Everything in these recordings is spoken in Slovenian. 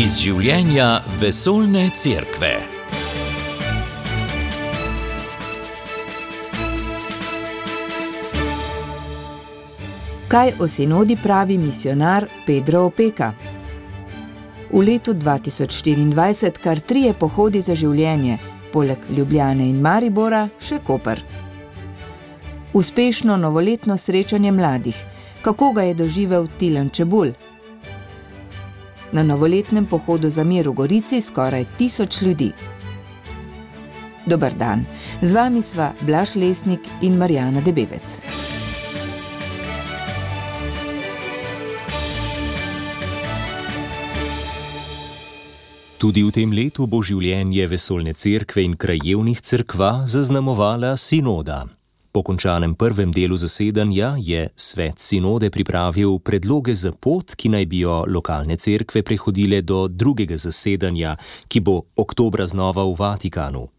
Iz življenja vesoljne cerkve. Kaj o sinodi pravi misionar Pedro Opeka? V letu 2024 kar 3 pohodi za življenje, poleg Ljubljane in Maribora še Koper. Uspešno novoletno srečanje mladih. Kako ga je doživel Tilen Čebulj? Na novoletnem pohodu za mir v Gorici skoraj 1000 ljudi. Dober dan, z vami sva Blaž Lesnik in Marjana Debevec. Tudi v tem letu bo življenje vesoljne cerkve in krajevnih cerkva zaznamovala sinoda. Po končanem prvem delu zasedanja je svet sinode pripravil predloge za pot, ki naj bi jo lokalne cerkve prehodile do drugega zasedanja, ki bo oktobra znova v Vatikanu.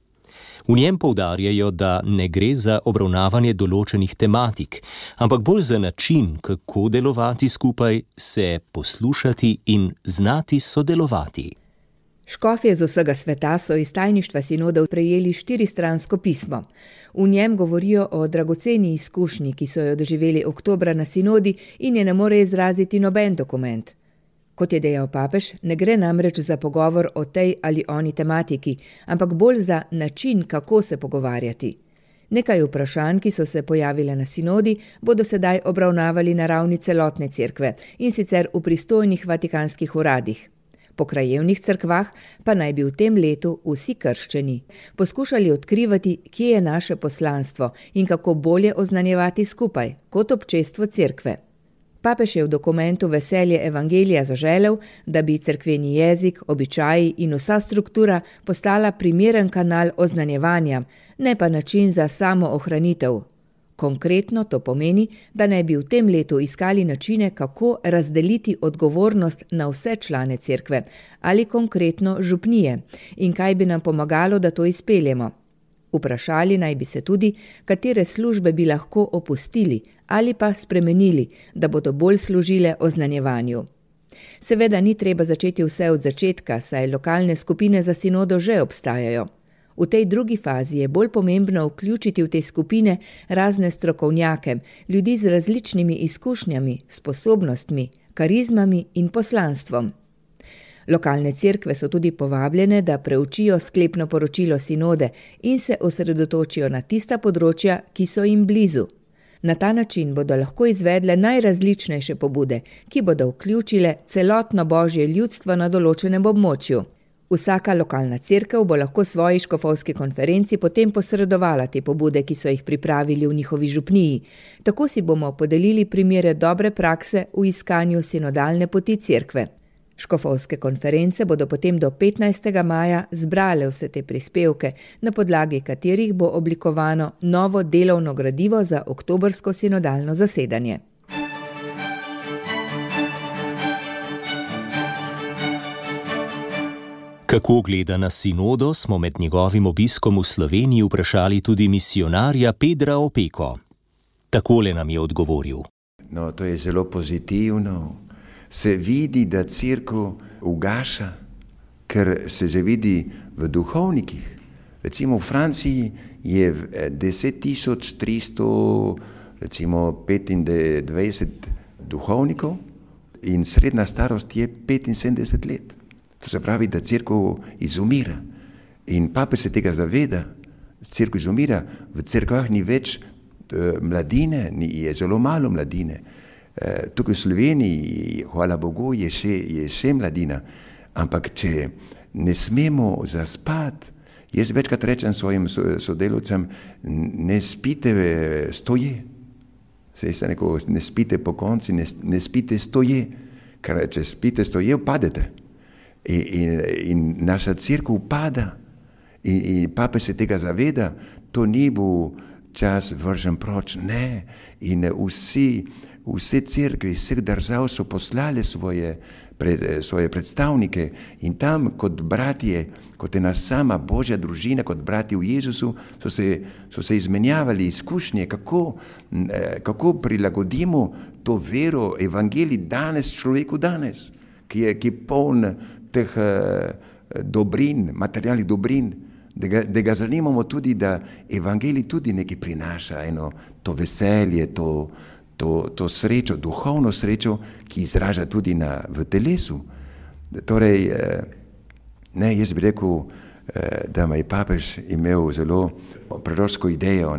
V njem poudarjajo, da ne gre za obravnavanje določenih tematik, ampak bolj za način, kako delovati skupaj, se poslušati in znati sodelovati. Škofje z vsega sveta so iz tajništva sinode prejeli 4-stransko pismo. V njem govorijo o dragoceni izkušnji, ki so jo doživeli oktobra na sinodi in je ne more izraziti noben dokument. Kot je dejal papež, ne gre namreč za pogovor o tej ali oni tematiki, ampak bolj za način, kako se pogovarjati. Nekaj vprašanj, ki so se pojavile na sinodi, bodo sedaj obravnavali na ravni celotne cerkve, in sicer v pristojnih vatikanskih uradih. Po krajevnih cerkvah pa naj bi v tem letu vsi krščeni poskušali odkrivati, kje je naše poslanstvo in kako bolje oznanjevati skupaj, kot občestvo cerkve. Papež je v dokumentu Veselje evangelija zaželel, da bi cerkveni jezik, običaji in vsa struktura postala primeren kanal oznanjevanja, ne pa način za samoohranitev. Konkretno to pomeni, da naj bi v tem letu iskali načine, kako razdeliti odgovornost na vse člane cerkve ali konkretno župnije in kaj bi nam pomagalo, da to izpeljemo. Vprašali naj bi se tudi, katere službe bi lahko opustili ali pa spremenili, da bodo bolj služile oznanjevanju. Seveda ni treba začeti vse od začetka, saj lokalne skupine za sinodo že obstajajo. V tej drugi fazi je bolj pomembno vključiti v te skupine razne strokovnjake, ljudi z različnimi izkušnjami, sposobnostmi, karizmami in poslanstvom. Lokalne cerkve so tudi povabljene, da preučijo sklepno poročilo sinode in se osredotočijo na tista področja, ki so jim blizu. Na ta način bodo lahko izvedle najrazličnejše pobude, ki bodo vključile celotno božje ljudstvo na določenem območju. Vsaka lokalna cerkev bo lahko svoji škofovski konferenci potem posredovala te pobude, ki so jih pripravili v njihovi župniji. Tako si bomo podelili primere dobre prakse v iskanju sinodalne poti cerkve. Škofovske konference bodo potem do 15. maja zbrale vse te prispevke, na podlagi katerih bo oblikovano novo delovno gradivo za oktobrsko sinodalno zasedanje. Kako gleda na sinodo, smo med njegovim obiskom v Sloveniji vprašali tudi misionarja Pedra Opeko. Takole nam je odgovoril. No, to je zelo pozitivno. Se vidi, da cerkev ugaša, ker se zavidi v duhovnikih. Recimo v Franciji je 10.325 duhovnikov in srednja starost je 75 let. To se pravi, da cerkev izumira. In papež se tega zaveda. Cerkev izumira, v cerkvah ni več mladine, je zelo malo mladine. Tukaj v Sloveniji, hvala Bogu, je še mladina. Ampak če ne smemo zaspati, jaz večkrat rečem svojim sodelavcem, ne spite stoje. Saj se neko, ne spite po konci, ne spite stoje. Ker če spite stoje, upadete. In naša cerkev upada. In papež se tega zaveda, to ni bo čas vržen proč, ne. In vse cerkve iz vseh držav so poslali svoje predstavnike in tam kot bratje, kot ena sama Božja družina, kot bratje v Jezusu, so se izmenjavali izkušnje, kako prilagodimo to vero, evangelij danes človeku danes. ki je poln teh dobrin, materialnih dobrin, da ga zanimamo tudi, da evangelij tudi nekaj prinaša, to veselje, to srečo, duhovno srečo, ki izraža tudi v telesu. Torej, jaz bi rekel, da je papež imel zelo proroško idejo,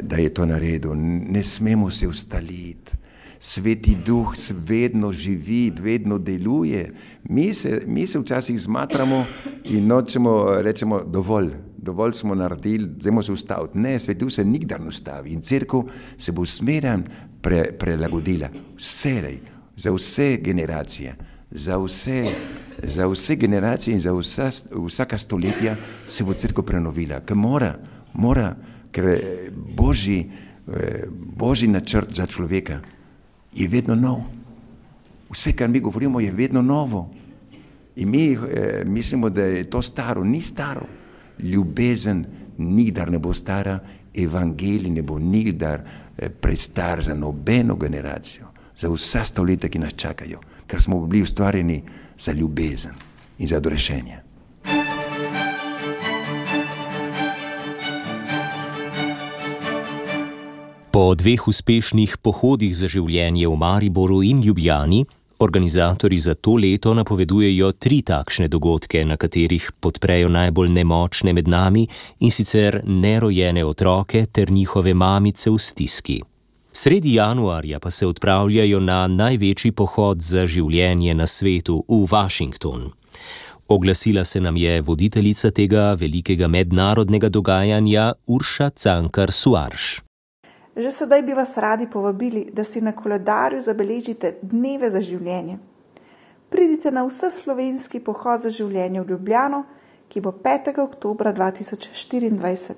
da je to naredil. Ne smemo se ustaliti. Sveti duh vedno živi, vedno deluje. Mi se včasih zmatramo in nočemo, rečemo, dovolj smo naredili, zdaj se ustaviti. Ne, Sveti duh se nikdar ne ustavi in cerkev se bo smeraj prilagodila. Vselej, za vse generacije, za vse generacije in za vsaka stoletja se bo cerkev prenovila, ker mora, ker Božji načrt za človeka je vedno nov. Vse, kar mi govorimo, je vedno novo. In mi mislimo, da je to staro. Ni staro. Ljubezen nikdar ne bo stara, evangelij ne bo nikdar prestar za nobeno generacijo, za vsa stoletja, ki nas čakajo, ker smo bili ustvarjeni za ljubezen in za odrešenje. Po 2 uspešnih pohodih za življenje v Mariboru in Ljubljani, organizatorji za to leto napovedujejo 3 takšne dogodke, na katerih podprejo najbolj nemočne med nami, in sicer nerojene otroke ter njihove mamice v stiski. Sredi januarja pa se odpravljajo na največji pohod za življenje na svetu v Washington. Oglasila se nam je voditeljica tega velikega mednarodnega dogajanja Urša Cankar Suarš. Že sedaj bi vas radi povabili, da si na koledarju zabeležite dneve za življenje. Pridite na vseslovenski pohod za življenje v Ljubljano, ki bo 5. oktobra 2024,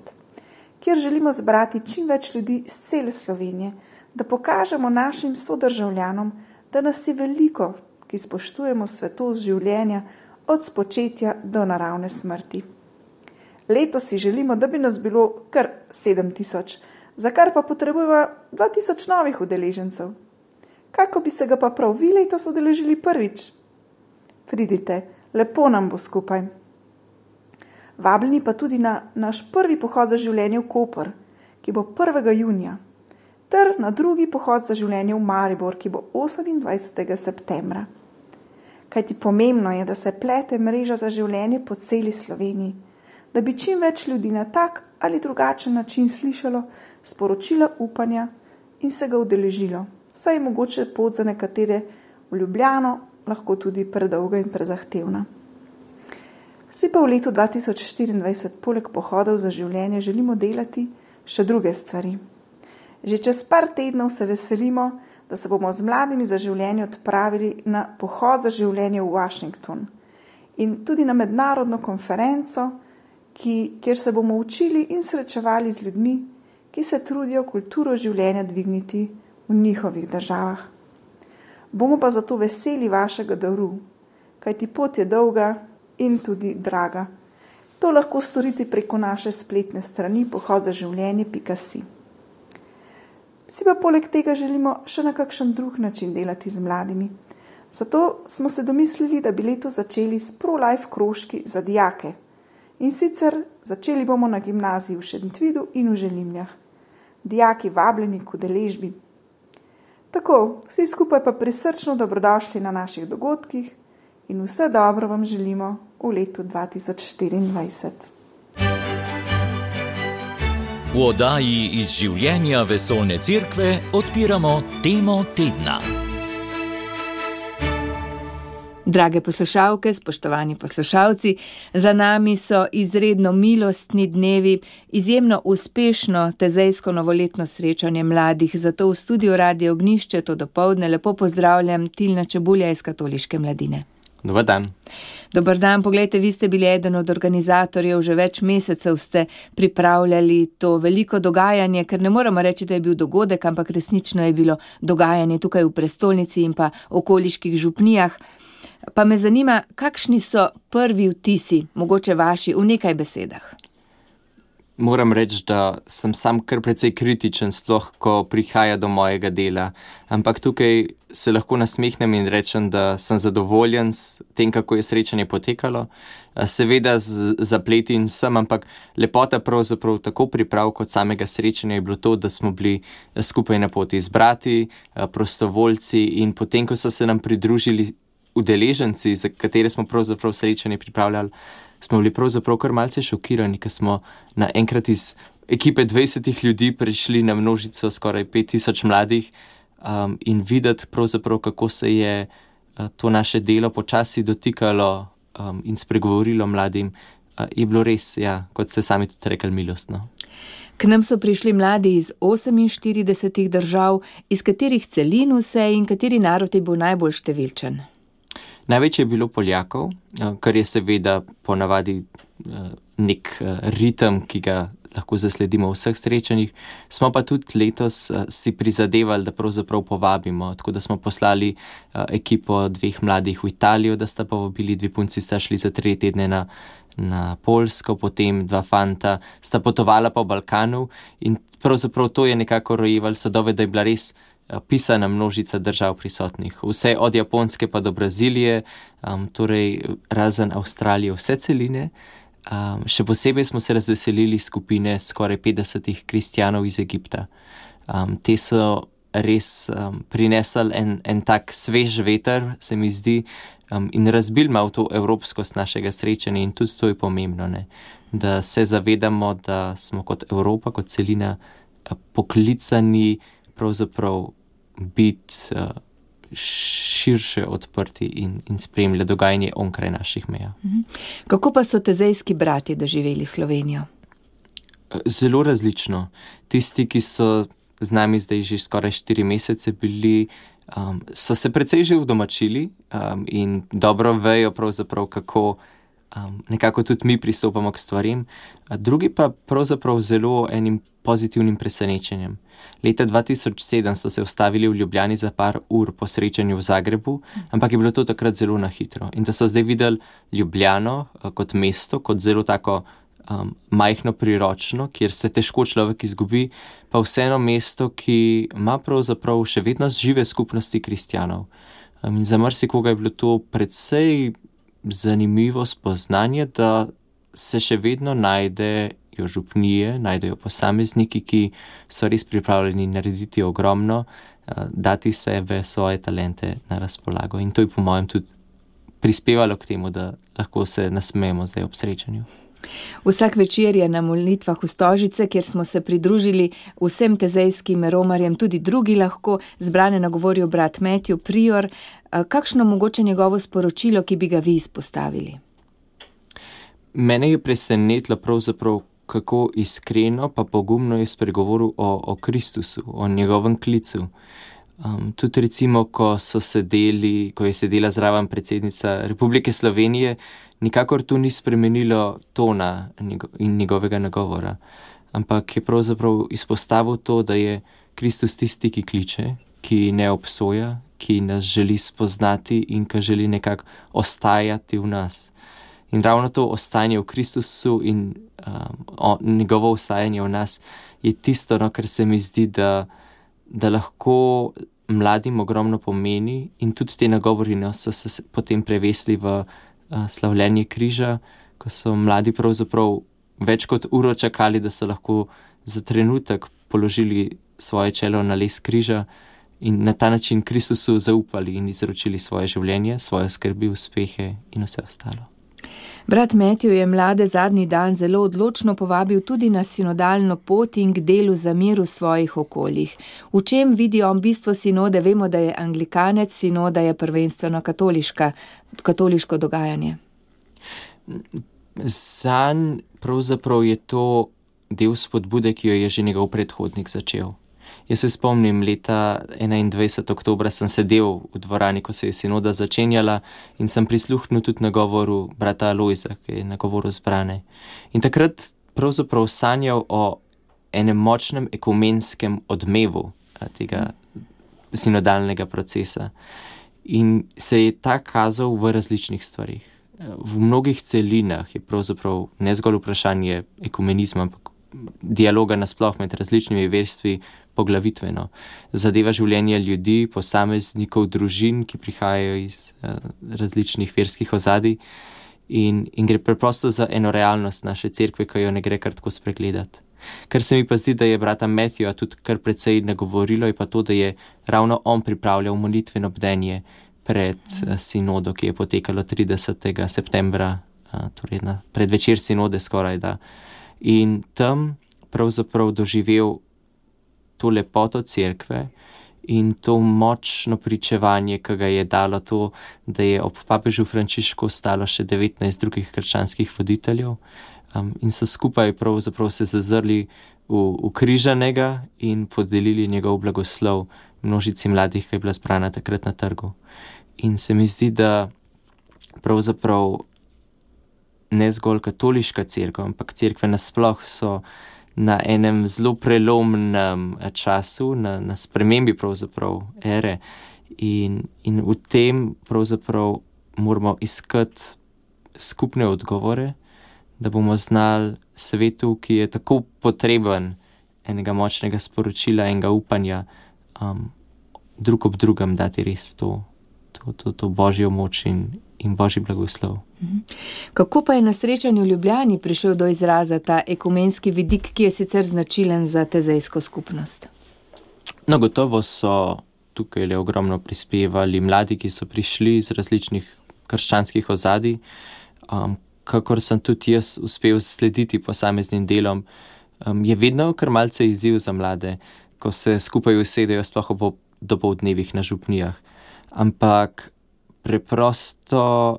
kjer želimo zbrati čim več ljudi iz cele Slovenije, da pokažemo našim sodržavljanom, da nas je veliko, ki spoštujemo svetost življenja od spočetja do naravne smrti. Letos si želimo, da bi nas bilo kar 7000, za kar pa potrebujemo 2000 novih udeležencev. Kako bi se ga pa prav vi letos udeležili prvič? Pridite, lepo nam bo skupaj. Vabljeni pa tudi na naš prvi pohod za življenje v Koper, ki bo 1. junija, ter na drugi pohod za življenje v Maribor, ki bo 28. septembra. Kajti pomembno je, da se plete mreža za življenje po celi Sloveniji, da bi čim več ljudi na tak ali drugačen način slišalo sporočila upanja in se ga udeležilo. Saj je mogoče pot za nekatere v Ljubljano lahko tudi predolga in prezahtevna. Vsi pa v letu 2024 poleg pohodov za življenje želimo delati še druge stvari. Že čez par tednov se veselimo, da se bomo z mladimi za življenje odpravili na pohod za življenje v Washington in tudi na mednarodno konferenco, kjer se bomo učili in srečevali z ljudmi, ki se trudijo kulturo življenja dvigniti v njihovih državah. Bomo pa zato veseli vašega daru, kajti pot je dolga in tudi draga. To lahko storite preko naše spletne strani pohodzaživljenje.si. Vsi pa poleg tega želimo še na kakšen drug način delati z mladimi. Zato smo se domislili, da bi leto začeli s pro-life krožki za dijake. In sicer začeli bomo na gimnaziji v Šentvidu in v Želimljah. Dijaki vabljeni k udeležbi. Tako, vsi skupaj pa prisrčno dobrodošli na naših dogodkih in vse dobro vam želimo v letu 2024. V oddaji iz življenja Vesoljne cerkve odpiramo temo tedna. Drage poslušalke, spoštovani poslušalci, za nami so izredno milostni dnevi, izjemno uspešno tezejsko novoletno srečanje mladih, zato v studiu Radio Ognjišče to dopoldne lepo pozdravljam Tilna Čebulja iz Katoliške mladine. Dobar dan. Dobar dan, poglejte, vi ste bili eden od organizatorjev, že več mesecev ste pripravljali to veliko dogajanje, ker ne moramo reči, da je bil dogodek, ampak resnično je bilo dogajanje tukaj v prestolnici in pa okoliških župnijah. Pa me zanima, kakšni so prvi vtisi, mogoče vaši, v nekaj besedah? moram reči, da sem sam kar precej kritičen, sploh ko prihaja do mojega dela. Ampak tukaj se lahko nasmehnem in rečem, da sem zadovoljen s tem, kako je srečanje potekalo. Seveda z zapleti in vsem, ampak lepota pravzaprav tako priprav kot samega srečanja je bilo to, da smo bili skupaj na poti z brati, prostovoljci, in potem, ko so se nam pridružili udeleženci, za katere smo pravzaprav srečanje pripravljali, smo bili pravzaprav kar malce šokirani, ker smo naenkrat iz ekipe 20 ljudi prišli na množico skoraj 5000 mladih, in videti pravzaprav, kako se je to naše delo počasi dotikalo in spregovorilo mladim, je bilo res, ja, kot ste sami tudi rekli, milostno. K nam so prišli mladi iz 48 držav, iz katerih celin vse in kateri narod je bil najbolj številčen? Največ je bilo Poljakov, kar je seveda ponavadi nek ritem, ki ga lahko zasledimo v vseh srečanjih. Smo pa tudi letos si prizadevali, da pravzaprav povabimo, tako da smo poslali ekipo 2 mladih v Italijo, da sta povabili, 2 punci sta šli za 3 tedne na Poljsko, potem 2 fanta sta potovala po Balkanu, in pravzaprav to je nekako rojevalo sadove, da je bila res pisana množica držav prisotnih. Vse od Japonske pa do Brazilije, torej razen Avstralije, vse celine. Še posebej smo se razveselili skupine skoraj 50 kristjanov iz Egipta. Te so res prinesli en tak svež veter, se mi zdi, in razbil malo to evropskost našega srečanja, in tudi to je pomembno, ne? Da se zavedamo, da smo kot Evropa, kot celina poklicani pravzaprav biti širše odprti in spremljati dogajanje onkraj naših meja. Kako pa so tezejski bratje doživeli Slovenijo? Zelo različno. Tisti, ki so z nami zdaj že skoraj 4 mesece bili, so se precej že udomačili in dobro vejo pravzaprav, kako nekako tudi mi pristopamo k stvarim. Drugi pa pravzaprav zelo enim pozitivnim presenečenjem. Leta 2007 so se ustavili v Ljubljani za par ur po srečanju v Zagrebu, ampak je bilo to takrat zelo na hitro. In da so zdaj videli Ljubljano kot mesto, kot zelo tako majhno, priročno, kjer se težko človek izgubi, pa vseeno mesto, ki ima pravzaprav še vedno žive skupnosti kristjanov. In za marsikoga je bilo to precej zanimivo spoznanje, da se še vedno najdejo župnije, najdejo posamezniki, ki so res pripravljeni narediti ogromno, dati sebe, svoje talente na razpolago. In to je po mojem tudi prispevalo k temu, da lahko se nasmejemo zdaj ob srečanju. Vsak večer je na molitvah v Stožice, kjer smo se pridružili vsem tezejskim romarjem, tudi drugi lahko, zbrane nagovorijo brat Matthew, prior. Kakšno mogoče njegovo sporočilo, ki bi ga vi izpostavili? Mene je presenetilo pravzaprav, kako iskreno pa pogumno je spregovoril o Kristusu, o njegovem klicu. Tudi recimo, ko je sedela zraven predsednica Republike Slovenije, nikakor to ni spremenilo tona in njegovega nagovora, ampak je pravzaprav izpostavil to, da je Kristus tisti, ki kliče, ki ne obsoja, ki nas želi spoznati in ki želi nekako ostajati v nas. In ravno to ostajanje v Kristusu in njegovo ostajanje v nas je tisto, kar se mi zdi, da lahko mladim ogromno pomeni, in tudi te nagovori so se potem prevesli v slavljenje križa, ko so mladi pravzaprav več kot uro čakali, da so lahko za trenutek položili svoje čelo na les križa in na ta način Kristusu zaupali in izročili svoje življenje, svoje skrbi, uspehe in vse ostalo. Brat Matthew je mlade zadnji dan zelo odločno povabil tudi na sinodalno pot in k delu za mir v svojih okoljih. V čem vidi on bistvo sinode? Vemo, da je anglikanec, sinoda je prvenstveno katoliško dogajanje. Zanj pravzaprav je to del spodbude, ki jo je že njegov predhodnik začel. Jaz se spomnim, leta 21. oktobra sem sedel v dvorani, ko se je sinoda začenjala, in sem prisluhnil tudi nagovoru brata Alojza, ki je nagovoril zbrane. In takrat pravzaprav sanjal o enem močnem ekumenskem odmevu tega sinodalnega procesa. In se je ta kazal v različnih stvarih. V mnogih celinah je pravzaprav ne zgolj vprašanje ekumenizma, ampak dialoga nasploh med različnimi verstvi poglavitveno. Zadeva življenje ljudi, posameznikov, družin, ki prihajajo iz različnih verskih ozadij in gre preprosto za eno realnost naše cerkve, ki jo ne gre kar tako spregledati. Kar se mi pa zdi, da je brata Matthewa tudi kar precej nagovorilo, je pa to, da je ravno on pripravljal molitveno bdenje pred sinodo, ki je potekalo 30. septembra, torej na predvečer sinode skoraj da. In tam pravzaprav doživel to lepoto cerkve in to močno pričevanje, ki ga je dalo to, da je ob papežu Frančišku ostalo še 19 drugih krščanskih voditeljev in so skupaj pravzaprav se zazrli v križanega in podelili njegov blagoslov množici mladih, ki je bila zbrana takrat na trgu. In se mi zdi, da pravzaprav ne zgolj katoliška cerkev, ampak cerkve nasploh so na enem zelo prelomnem času, na spremembi pravzaprav ere in v tem pravzaprav moramo iskati skupne odgovore, da bomo znali svetu, ki je tako potreben enega močnega sporočila, enega upanja, drug ob drugem dati res to božjo moč in božji blagoslov. Kako pa je na srečanju v Ljubljani prišel do izraza ta ekumenski vidik, ki je sicer značilen za tezejsko skupnost? No, gotovo so tukaj le ogromno prispevali mladi, ki so prišli iz različnih krščanskih ozadij. Kakor sem tudi jaz uspel slediti posameznim delom, je vedno kar malce izziv za mlade, ko se skupaj usedejo sploh ob dopoldnevih na župnijah. Ampak preprosto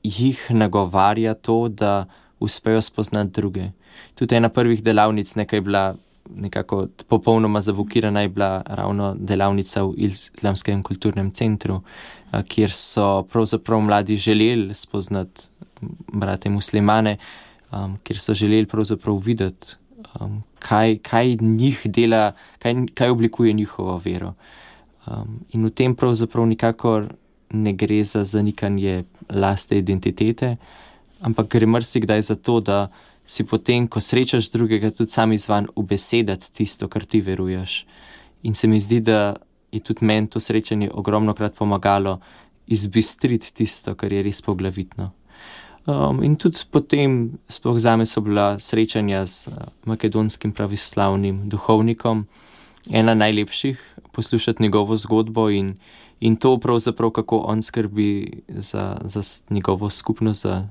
jih nagovarja to, da uspejo spoznati druge. Tudi ena prvih delavnic, nekaj je bila nekako popolnoma zavukirana, je bila ravno delavnica v Islamskem kulturnem centru, kjer so pravzaprav mladi želeli spoznati brate muslimane, kjer so želeli pravzaprav videti, kaj njih dela, kaj oblikuje njihovo vero. In v tem pravzaprav nikakor ne gre za zanikanje lastne identitete, ampak gre marsikdaj za to, da si potem, ko srečaš drugega, tudi sam izvan ubesedati tisto, kar ti veruješ. In se mi zdi, da je tudi meni to srečanje ogromnokrat pomagalo izbistriti tisto, kar je res poglavitno. In tudi potem, sploh zame so bila srečanja z makedonskim pravoslavnim duhovnikom, ena najlepših, poslušati njegovo zgodbo in to pravzaprav, kako on skrbi za njegovo skupnost, za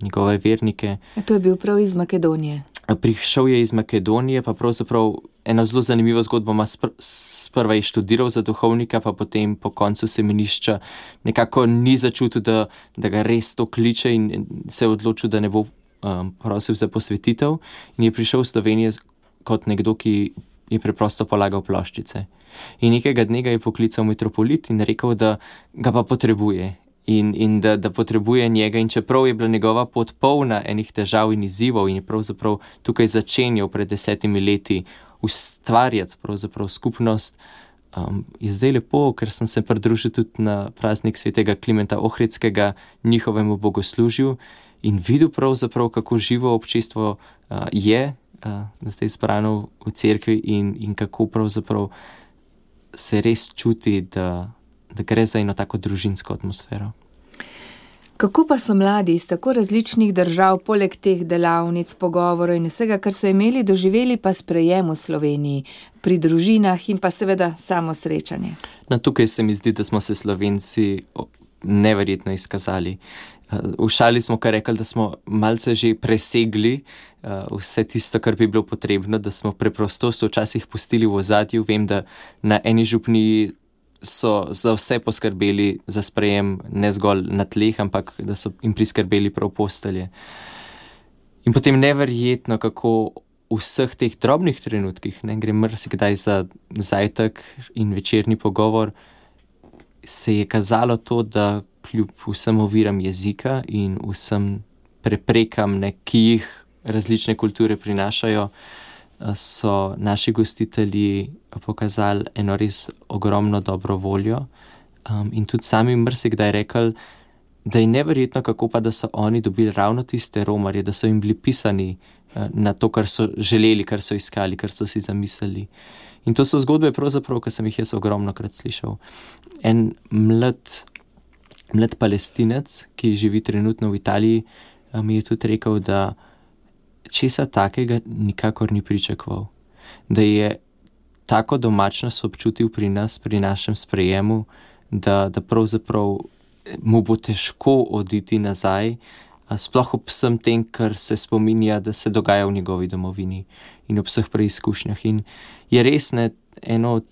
njegove vernike. To je bil prav iz Makedonije. Prišel je iz Makedonije, pa pravzaprav eno zelo zanimivo zgodbo ima. Sprva je študiral za duhovnika, pa potem po koncu semenišča nekako ni začutil, da ga res to kliče in se je odločil, da ne bo prosil za posvetitev in je prišel v Slovenijo kot nekdo, ki je preprosto polagal ploščice. In nekega dne ga je poklical metropolit in rekel, da ga pa potrebuje in da potrebuje njega. In čeprav je bila njegova pot polna enih težav in izzivov in je pravzaprav tukaj začenjal pred 10 leti ustvarjati pravzaprav skupnost, je zdaj lepo, ker sem se pridružil tudi na praznik svetega Klimenta Ohridskega njihovemu bogoslužju in videl pravzaprav, kako živo občestvo je zdaj zbrano v cerkvi in kako pravzaprav se res čuti, da gre za eno tako družinsko atmosfero. Kako pa so mladi iz tako različnih držav, poleg teh delavnic, pogovorov in vsega, kar so imeli, doživeli pa sprejem v Sloveniji, pri družinah in pa seveda samo srečanje? No, tukaj se mi zdi, da smo se Slovenci neverjetno izkazali. V šali smo kar rekli, da smo malce že presegli vse tisto, kar bi bilo potrebno, da smo preprostost včasih pustili v ozadju. Vem, da na eni župniji so za vse poskrbeli za sprejem, ne zgolj na tleh, ampak da so jim priskrbeli prav postelje. In potem neverjetno, kako v vseh teh drobnih trenutkih, gre marsikdaj za zajtrk in večerni pogovor, se je kazalo to, da kljub vsem oviram jezika in vsem preprekam, ki jih različne kulture prinašajo, so naši gostitelji pokazali eno res ogromno dobro voljo in tudi sami marsikdaj rekli, da je neverjetno, kako pa, da so oni dobili ravno tiste romarje, da so jim bili pisani na to, kar so želeli, kar so iskali, kar so si zamislili. In to so zgodbe pravzaprav, ki sem jih jaz ogromno krat slišal. En mlad Palestinec, ki živi trenutno v Italiji, mi je tudi rekel, da česa takega nikakor ni pričakoval. Da je tako domačnost občutil pri nas, pri našem sprejemu, da pravzaprav mu bo težko oditi nazaj, sploh ob vsem tem, kar se spominja, da se dogaja v njegovi domovini in ob vseh preizkušnjah. In je res eno od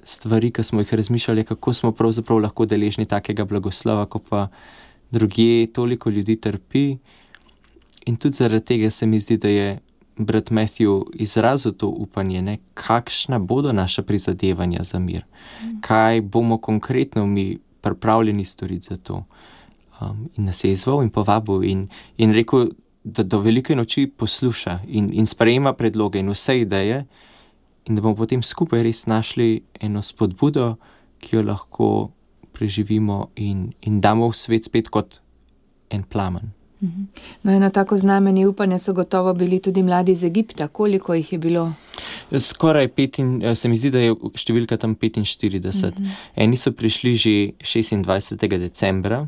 stvari, ki smo jih razmišljali, kako smo pravzaprav lahko deležni takega blagoslova, ko pa drugje toliko ljudi trpi. In tudi zaradi tega se mi zdi, da je brat Matthew izrazil to upanje, kakšna bodo naša prizadevanja za mir, kaj bomo konkretno mi pripravljeni storiti za to. In nas je izval in povabil in rekel, da do velike noči posluša in sprejema predloge in vse ideje in da bomo potem skupaj res našli eno spodbudo, ki jo lahko preživimo in damo v svet spet kot en plamen. No, eno tako znamenje upanja so gotovo bili tudi mladi iz Egipta. Koliko jih je bilo? Skoraj se mi zdi, da je številka tam 45. Eni so prišli že 26. decembra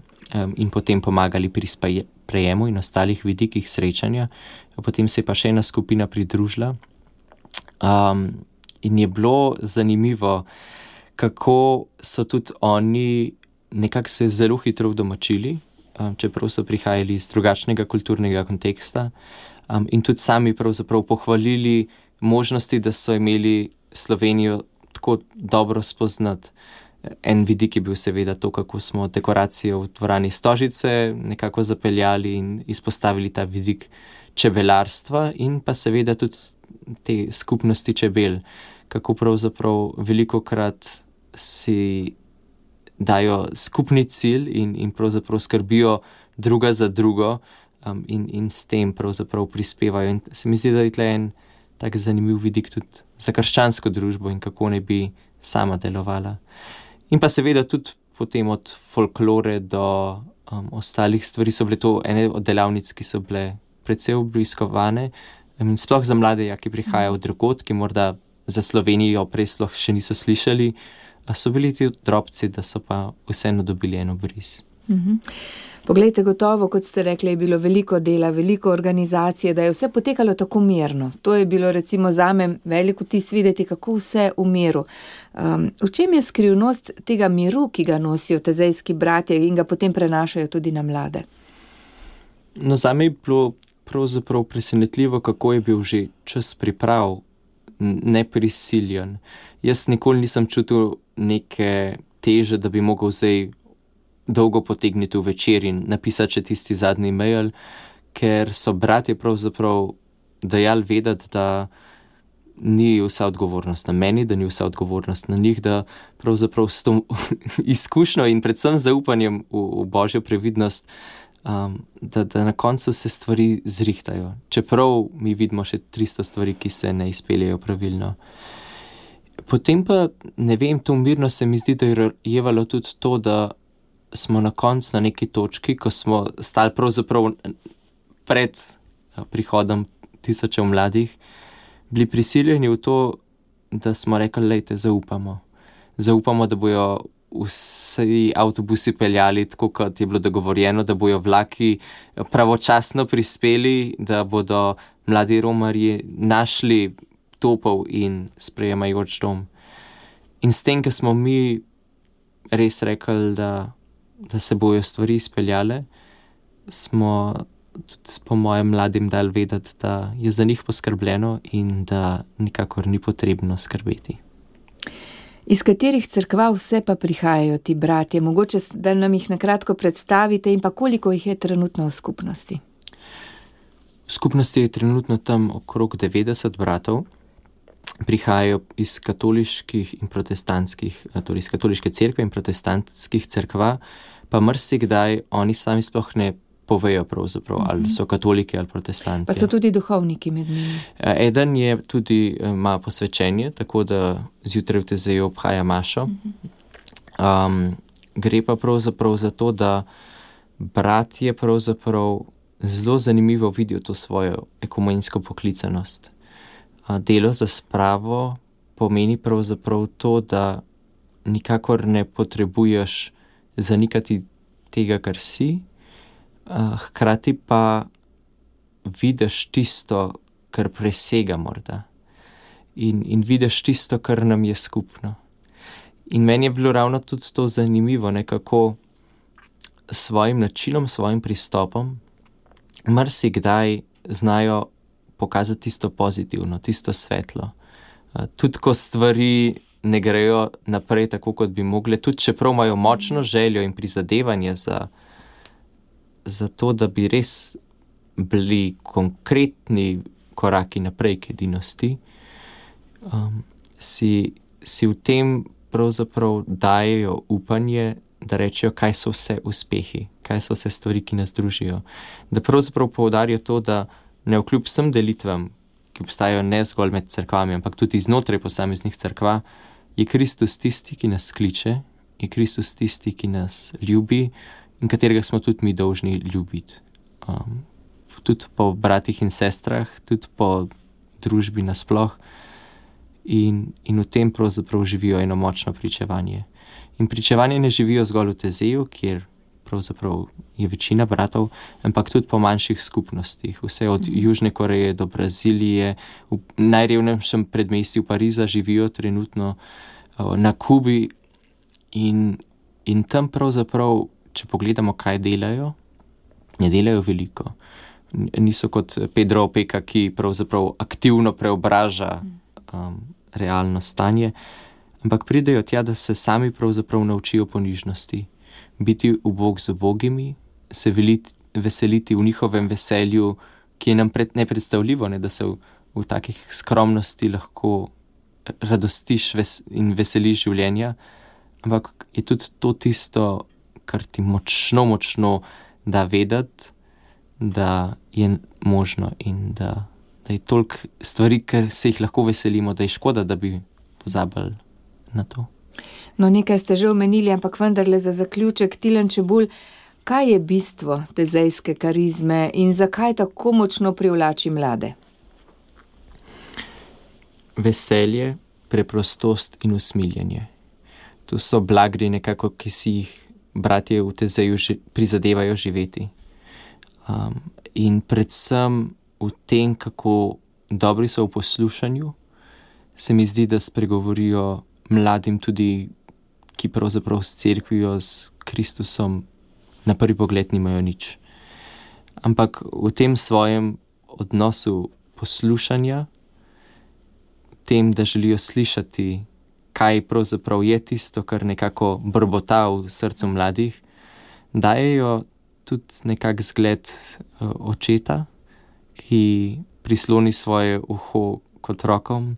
in potem pomagali pri sprejemu in ostalih vidikih srečanja. Potem se je pa še ena skupina pridružila. In je bilo zanimivo, kako so tudi oni nekako se zelo hitro udomačili, čeprav so prihajali iz drugačnega kulturnega konteksta, in tudi sami pravzaprav pohvalili možnosti, da so imeli Slovenijo tako dobro spoznati. En vidik je bil seveda to, kako smo dekoracijo v dvorani Stožice nekako zapeljali in izpostavili ta vidik čebelarstva in pa seveda tudi te skupnosti čebel, kako pravzaprav velikokrat si dajo skupni cilj in pravzaprav skrbijo druga za drugo in s tem pravzaprav prispevajo. In se mi zdi, da je tle en tak zanimiv vidik tudi za krščansko družbo in kako ne bi sama delovala. In pa seveda tudi potem od folklore do ostalih stvari so bile to ene od delavnic, ki so bile precej obiskovane, sploh za mlade, ki prihajajo od drugod, ki morda za Slovenijo prej sploh še niso slišali, so bili ti drobci, da so pa vseeno dobili eno bris. Poglejte, gotovo, kot ste rekli, je bilo veliko dela, veliko organizacije, da je vse potekalo tako mirno. To je bilo recimo zame veliko vtis videti, kako vse v miru. V čem je skrivnost tega miru, ki ga nosijo tezejski bratje in ga potem prenašajo tudi na mlade? No, zame je bilo pravzaprav presenetljivo, kako je bil že čas priprav, neprisiljen. Jaz nikoli nisem čutil neke teže, da bi mogel zdaj dolgo potegniti v večer in napisati še tisti zadnji mail, ker so bratje pravzaprav dajali vedeti, da ni vsa odgovornost na meni, da ni vsa odgovornost na njih, da pravzaprav s to izkušnjo in predvsem zaupanjem v Božjo previdnost, da na koncu se stvari zrihtajo. Čeprav mi vidimo še 300 stvari, ki se ne izpeljejo pravilno. Potem pa, ne vem, to mirno se mi zdi, da je jevalo tudi to, da smo na koncu na neki točki, ko smo stali pravzaprav pred prihodom tisočev mladih, bili prisiljeni v to, da smo rekli, lejte, zaupamo. Zaupamo, da bojo vsi avtobusi peljali tako, kot je bilo dogovorjeno, da bojo vlaki pravočasno prispeli, da bodo mladi romarji našli topel in sprejemajoč dom. In s tem, ko smo mi res rekli, da se bojo stvari izpeljale, smo tudi po mojem mladim dali vedeti, da je za njih poskrbljeno in da nikakor ni potrebno skrbeti. Iz katerih cerkva vse pa prihajajo ti bratje? Mogoče, da nam jih nakratko predstavite in pa koliko jih je trenutno v skupnosti? V skupnosti je trenutno tam okrog 90 bratov. Prihajajo iz katoliških in protestantskih, torej iz katoliške cerkve in protestantskih cerkva, pa marsikdaj oni sami sploh ne povejo pravzaprav, ali so katoliki ali protestanti. Pa so tudi duhovniki med njimi. Eden je tudi, ima posvečenje, tako da zjutraj v Tezeju obhaja mašo. Gre pa pravzaprav za to, da bratje pravzaprav zelo zanimivo vidijo to svojo ekumensko poklicanost. Delo za spravo pomeni pravzaprav to, da nikakor ne potrebuješ zanikati tega, kar si, hkrati pa vidiš tisto, kar presega morda. In vidiš tisto, kar nam je skupno. In meni je bilo ravno tudi to zanimivo, kako s svojim načinom, svojim pristopom marsikdaj znajo pokazati tisto pozitivno, tisto svetlo. Tudi ko stvari ne grejo naprej tako, kot bi mogle, tudi čeprav imajo močno željo in prizadevanje za to, da bi res bili konkretni koraki naprej k edinosti, si v tem pravzaprav dajejo upanje, da rečejo, kaj so vse uspehi, kaj so vse stvari, ki nas družijo. Da pravzaprav poudarijo to, da ne vkljub vsem delitvam, ki obstajajo ne zgolj med cerkvami, ampak tudi znotraj posameznih cerkva, je Kristus tisti, ki nas kliče, je Kristus tisti, ki nas ljubi in katerega smo tudi mi dolžni ljubiti. Tudi po bratih in sestrah, tudi po družbi nasploh. In v tem pravzaprav živijo eno močno pričevanje. In pričevanje ne živijo zgolj v Tezeju, kjer pravzaprav je večina bratov, ampak tudi po manjših skupnostih. Vse od Južne Koreje do Brazilije, v najrevnejšem predmestju Pariza živijo trenutno, na Kubi in tam pravzaprav, če pogledamo, kaj delajo, ne delajo veliko. Niso kot Pedro Opeka, ki pravzaprav aktivno preobraža realno stanje, ampak pridejo tja, da se sami pravzaprav naučijo ponižnosti, biti ubog z ubogimi, se veseliti v njihovem veselju, ki je nam nepredstavljivo, da se v takih skromnosti lahko radostiš in veseliš življenja, ampak je tudi to tisto, kar ti močno da vedeti, da je možno in da je toliko stvari, ker se jih lahko veselimo, da je škoda, da bi pozabili na to. No, nekaj ste že omenili, ampak vendarle za zaključek, Tilen Čebulj, kaj je bistvo tezejske karizme in zakaj tako močno privlači mlade? Veselje, preprostost in usmiljenje. To so blagri nekako, ki si jih bratje v Tezeju prizadevajo živeti. In predvsem v tem, kako dobri so v poslušanju, se mi zdi, da spregovorijo mladim tudi, ki pravzaprav s cerkvijo, s Kristusom na prvi pogled nimajo nič. Ampak v tem svojem odnosu poslušanja, tem, da želijo slišati, kaj pravzaprav je tisto, kar nekako brbota v srcu mladih, dajejo tudi nekak zgled očeta, ki prisloni svoje uho k otrokom,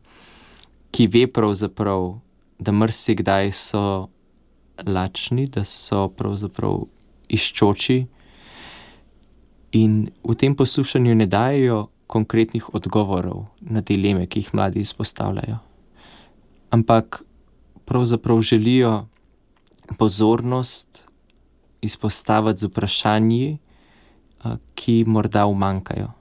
ki ve pravzaprav, da marsikdaj so lačni, da so pravzaprav iščoči in v tem poslušanju ne dajejo konkretnih odgovorov na dileme, ki jih mladi izpostavljajo. Ampak pravzaprav želijo pozornost izpostaviti z vprašanji, ki morda umanjkajo.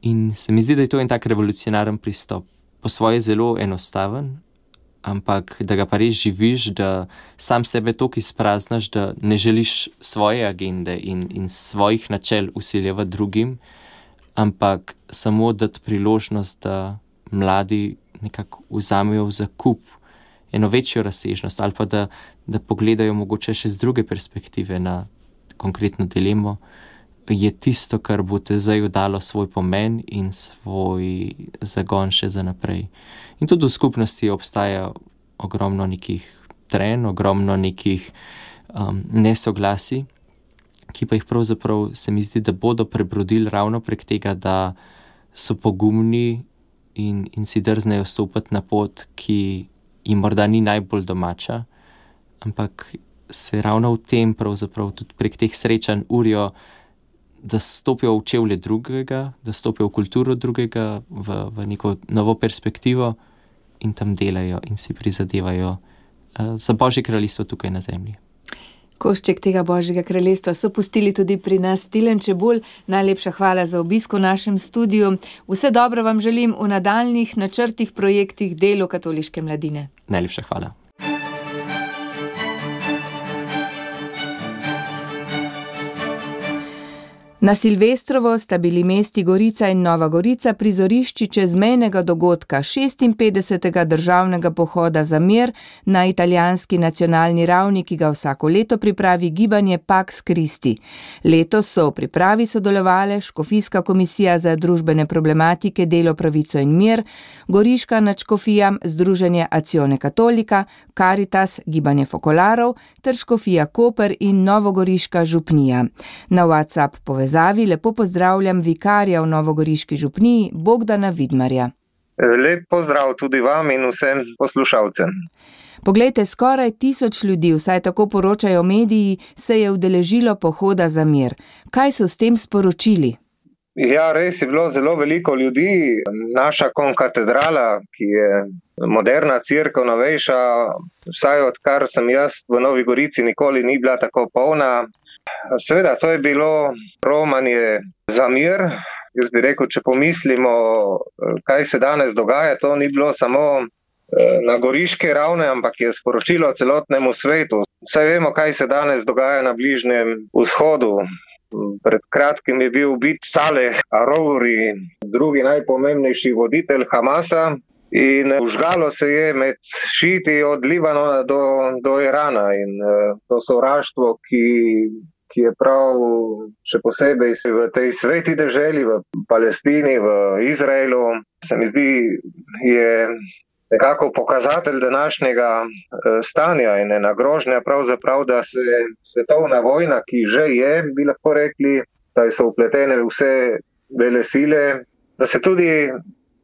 In se mi zdi, da je to en tak revolucionaren pristop. Po svoje zelo enostaven, ampak da ga pa res živiš, da sam sebe toliko izpraznaš, da ne želiš svoje agende in svojih načel vsiljevati drugim, ampak samo dati priložnost, da mladi nekako vzamejo v zakup eno večjo razsežnost ali pa da pogledajo mogoče še z druge perspektive na konkretno dilemo, je tisto, kar bo Tezeju dalo svoj pomen in svoj zagon še za naprej. In tudi v skupnosti obstaja ogromno nekih trenj, ogromno nekih nesoglasij, ki pa jih pravzaprav se mi zdi, da bodo prebrodili ravno prek tega, da so pogumni in si drznejo stopiti na pot, ki jim morda ni najbolj domača, ampak se ravno v tem pravzaprav tudi prek teh srečanj urijo, da stopijo v čevlje drugega, da stopijo v kulturo drugega, v neko novo perspektivo in tam delajo in si prizadevajo za Božje kraljestvo tukaj na zemlji. Košček tega Božjega kraljestva so pustili tudi pri nas. Tilen Čebulj, najlepša hvala za obisk v našem studiu. Vse dobro vam želim v nadaljnjih načrtih, projektih, delu katoliške mladine. Najlepša hvala. Na Silvestrovo sta bili mesti Gorica in Nova Gorica prizorišči čezmejnega dogodka 56. državnega pohoda za mir na italijanski nacionalni ravni, ki ga vsako leto pripravi gibanje Pax Christi. Letos so v pripravi sodelovale Škofijska komisija za družbene problematike, delo, pravico in mir, Goriška nadškofija, Združenje Azione Cattolica, Caritas, gibanje Fokolarov ter Škofija Koper in Novogoriška župnija. Na WhatsApp povezavi lepo pozdravljam vikarja v Novogoriški župniji Bogdana Vidmarja. Lep pozdrav tudi vam in vsem poslušalcem. Poglejte, skoraj 1000 ljudi, vsaj tako poročajo mediji, se je udeležilo pohoda za mir. Kaj so s tem sporočili? Ja, res je bilo zelo veliko ljudi. Naša konkatedrala, ki je moderna cerkev, novejša, vsaj odkar sem jaz v Novi Gorici, nikoli ni bila tako polna. Seveda, to je bilo romanje za mir. Jaz bi rekel, če pomislimo, kaj se danes dogaja, to ni bilo samo na goriške ravni, ampak je sporočilo celotnemu svetu. Saj vemo, kaj se danes dogaja na Bližnjem vzhodu. Pred kratkim je bil ubit Saleh Arouri, drugi najpomembnejši voditelj Hamasa, in vžgalo se je med šiti od Libanona do Irana. In to sovraštvo, ki je prav še posebej v tej sveti deželi, v Palestini, v Izraelu, se mi zdi, je nekako pokazatelj današnjega stanja in ena grožnja pravzaprav, da se svetovna vojna, ki že je, bi lahko rekli, da so vpletene vse vele sile, da se tudi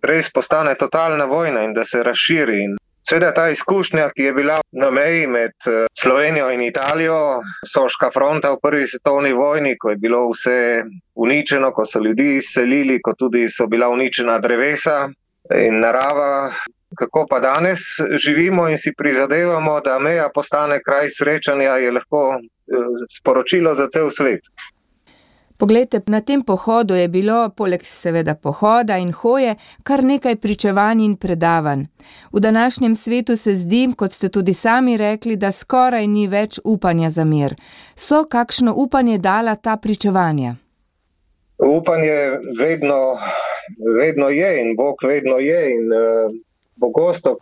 res postane totalna vojna in da se razširi. Seveda ta izkušnja, ki je bila na meji med Slovenijo in Italijo, Soška fronta v prvi svetovni vojni, ko je bilo vse uničeno, ko so ljudi izselili, ko tudi so bila uničena drevesa in narava. Kako pa danes živimo in si prizadevamo, da meja postane kraj srečanja, je lahko sporočilo za cel svet. Poglejte, na tem pohodu je bilo, poleg seveda pohoda in hoje, kar nekaj pričevanj in predavanj. V današnjem svetu se zdi, kot ste tudi sami rekli, da skoraj ni več upanja za mir. So kakšno upanje dala ta pričevanja? Upanje vedno je in Bog vedno je in pogosto,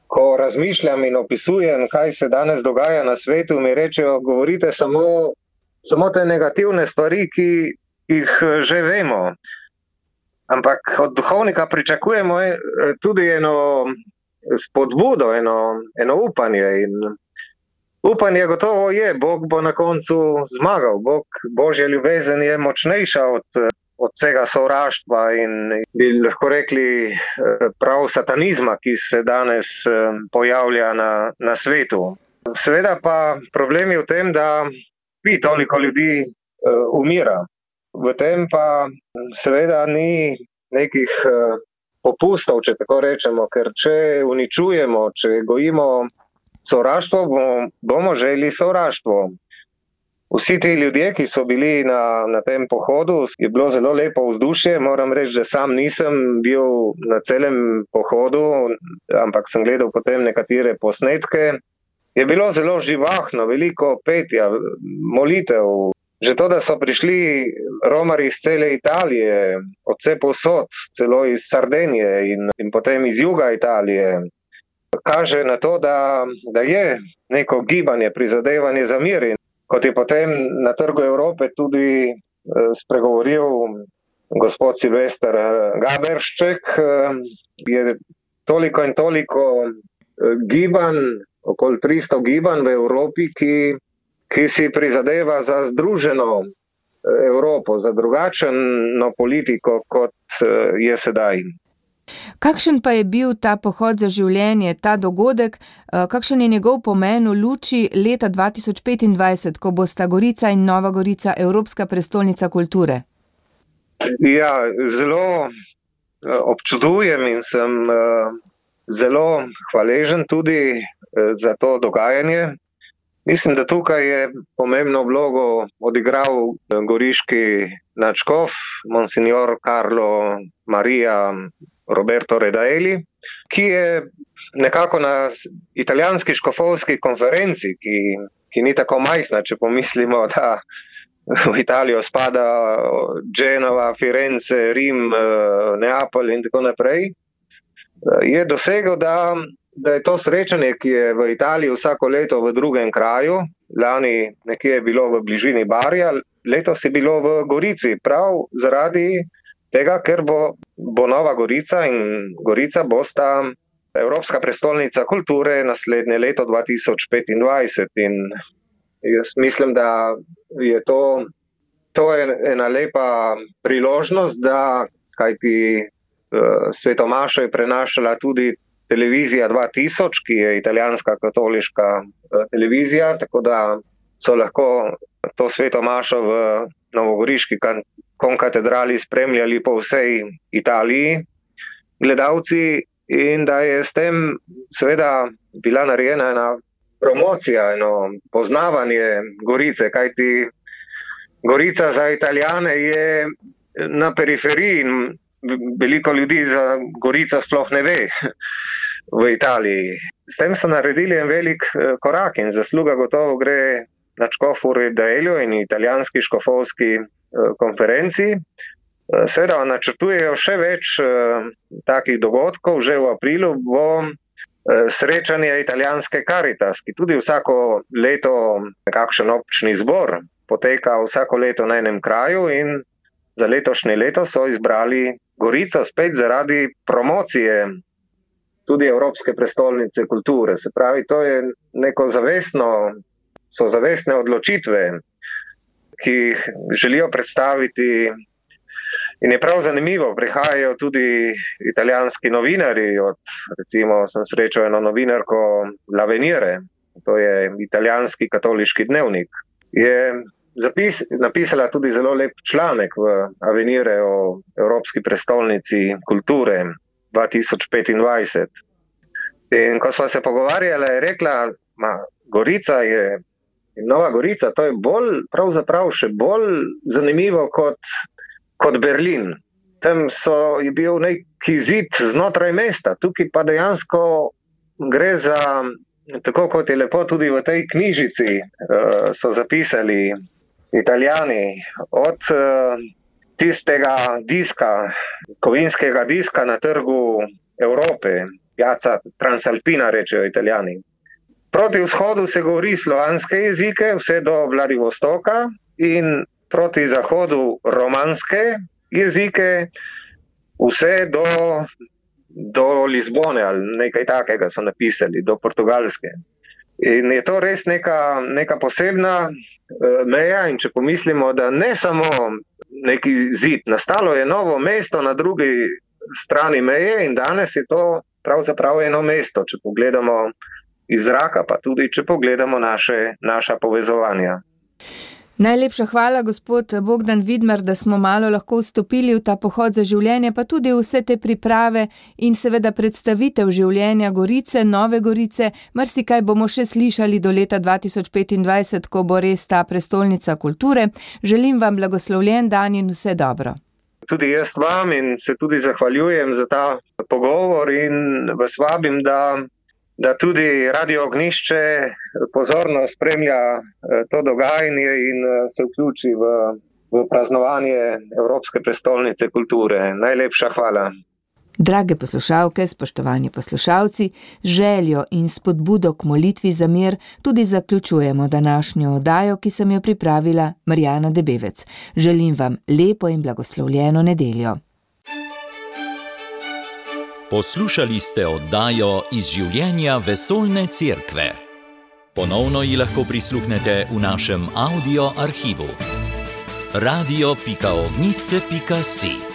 ko razmišljam in opisujem, kaj se danes dogaja na svetu, mi rečejo, govorite samo te negativne stvari, ki jih že vemo. Ampak od duhovnika pričakujemo tudi eno spodbudo, eno upanje. In upanje gotovo je, Bog bo na koncu zmagal. Božja ljubezen je močnejša od vsega sovraštva in bi lahko rekli prav satanizma, ki se danes pojavlja na svetu. Seveda pa problem je v tem, da toliko ljudi umira. V tem pa seveda ni nekih popustov, če tako rečemo, ker če uničujemo, če gojimo sovraštvo, bomo želi sovraštvo. Vsi ti ljudje, ki so bili na tem pohodu, je bilo zelo lepo vzdušje. Moram reči, da sam nisem bil na celem pohodu, ampak sem gledal potem nekatere posnetke. Je bilo zelo živahno, veliko petja, molitev. Že to, da so prišli romarji iz cele Italije, od vse povsod, celo iz Sardenije in potem iz juga Italije, kaže na to, da je neko gibanje, prizadevanje za mir. In kot je potem na Trgu Evrope tudi spregovoril gospod Silvester Gaberšček, je toliko in toliko gibanj, okoli 300 gibanj v Evropi, ki si prizadeva za združeno Evropo, za drugačno politiko, kot je sedaj. Kakšen pa je bil ta pohod za življenje, ta dogodek, kakšen je njegov pomen v luči leta 2025, ko bosta Gorica in Nova Gorica Evropska prestolnica kulture? Ja, zelo občudujem in sem zelo hvaležen tudi za to dogajanje. Mislim, da tukaj je pomembno vlogo odigral goriški nadškof, monsignor Carlo Maria Roberto Redaelli, ki je nekako na italijanski škofovski konferenci, ki ni tako majhna, če pomislimo, da v Italijo spada Genova, Firenze, Rim, Neapolj in tako naprej, je dosegel, da je to srečanje, ki je v Italiji vsako leto v drugem kraju, lani nekje je bilo v bližini Barija, letos je bilo v Gorici, prav zaradi tega, ker bo Nova Gorica in Gorica bosta Evropska prestolnica kulture naslednje leto 2025. In jaz mislim, da je to je ena lepa priložnost, da kajti svetomašo je prenašala tudi televizija 2000, ki je italijanska katoliška televizija, tako da so lahko to svetomašo v novogoriški konkatedrali spremljali po vsej Italiji gledalci in da je s tem seveda bila narejena ena promocija, eno poznavanje Gorice, kajti Gorica za Italijane je na periferiji in veliko ljudi za Gorica sploh ne ve v Italiji. S tem so naredili en velik korak in zasluga gotovo gre nadškofu Redaelliju in italijanski škofovski konferenci. Seveda načrtujejo še več takih dogodkov. Že v aprilu bo srečanje italijanske Caritas, ki tudi vsako leto nekakšen občni zbor poteka vsako leto na enem kraju in za letošnje leto so izbrali Gorico spet zaradi promocije tudi Evropske prestolnice kulture. Se pravi, to je neko zavestne odločitve, ki jih želijo predstaviti. In je prav zanimivo, prihajajo tudi italijanski novinarji, recimo sem srečal eno novinarko L'Avvenire, to je italijanski katoliški dnevnik, je napisala tudi zelo lep članek v Avvenire o Evropski prestolnici kulture 2025. In ko sva se pogovarjala, je rekla, Gorica je, Nova Gorica, to je pravzaprav še bolj zanimivo kot Berlin. Tam je bil neki zid znotraj mesta, tukaj pa dejansko gre za, tako kot je lepo tudi v tej knjižici so zapisali Italijani, od tistega diska, kovinskega diska na trgu Evrope, Piazza Transalpina rečejo Italijani. Proti vzhodu se govori slovanske jezike, vse do Vladivostoka in proti zahodu romanske jezike, vse do Lizbone ali nekaj takega so napisali, do Portugalske. In je to res neka posebna meja in če pomislimo, da ne samo neki zid, nastalo je novo mesto na drugi strani meje in danes je to pravzaprav eno mesto, če pogledamo iz zraka, pa tudi če pogledamo naša povezovanja. Najlepša hvala, gospod Bogdan Vidmar, da smo malo lahko vstopili v ta pohod za življenje, pa tudi vse te priprave in seveda predstavitev življenja Gorice, Nove Gorice. Marsikaj bomo še slišali do leta 2025, ko bo res ta prestolnica kulture. Želim vam blagoslovljen dan in vse dobro. Tudi jaz vam in se tudi zahvaljujem za ta pogovor in vas vabim, da tudi Radio Ognjišče pozorno spremlja to dogajanje in se vključi v praznovanje Evropske prestolnice kulture. Najlepša hvala. Drage poslušalke, spoštovani poslušalci, z željo in spodbudo k molitvi za mir tudi zaključujemo današnjo oddajo, ki sem jo pripravila Marjana Debevec. Želim vam lepo in blagoslovljeno nedeljo. Poslušali ste oddajo iz življenja Vesoljne cerkve. Ponovno ji lahko prisluhnete v našem audio arhivu. radio.ognjisce.si